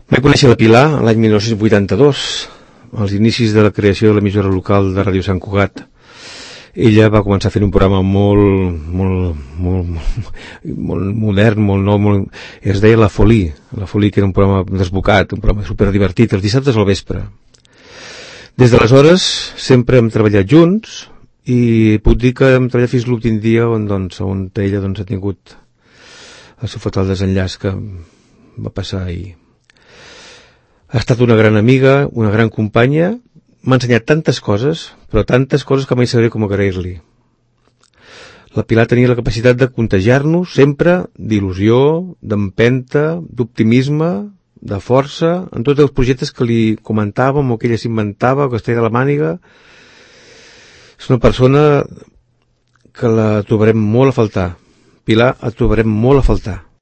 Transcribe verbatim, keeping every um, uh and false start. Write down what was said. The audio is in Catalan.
Vaig conèixer la Pilar l'any mil nou-cents vuitanta-dos, als inicis de la creació de l'emissora local de Ràdio Sant Cugat. Ella va començar fent un programa molt, molt, molt, molt modern, molt nou, molt... es deia La Folie, La Folie, que era un programa desbocat, un programa superdivertit, els dissabtes al vespre. Des d'aleshores sempre hem treballat junts i puc dir que hem treballat fins l'últim dia on, doncs, on ella doncs, ha tingut el seu fatal desenllaç que va passar ahir. Ha estat una gran amiga, una gran companya, m'ha ensenyat tantes coses, però tantes coses que mai sabré com agrair-li. La Pilar tenia la capacitat de contagiar-nos sempre d'il·lusió, d'empenta, d'optimisme, de força, en tots els projectes que li comentàvem o que ella s'inventava o que es treia de la màniga. És una persona que la trobarem molt a faltar. Pilar, et trobarem molt a faltar.